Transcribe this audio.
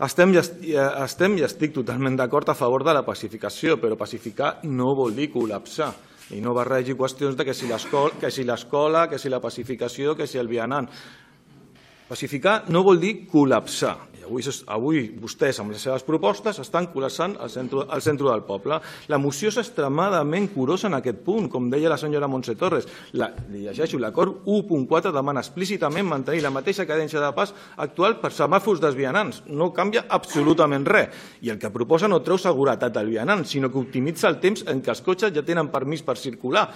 Estem i estic totalment d'acord a favor de la pacificació, però pacificar no vol dir col·lapsar. I no barregi qüestions de que si l'escola, que si la pacificació, que si el vianant. Pacificar no vol dir col·lapsar. Avui vostès, amb les seves propostes, estan col·lapsant el centre del poble. La moció és extremadament curosa en aquest punt, com deia la senyora Montse Torres. Li llegeixo, l'acord 1.4 demana explícitament mantenir la mateixa cadència de pas actual per semàfors dels vianants. No canvia absolutament res. I el que proposa no treu seguretat al vianant, sinó que optimitza el temps en què els cotxes ja tenen permís per circular.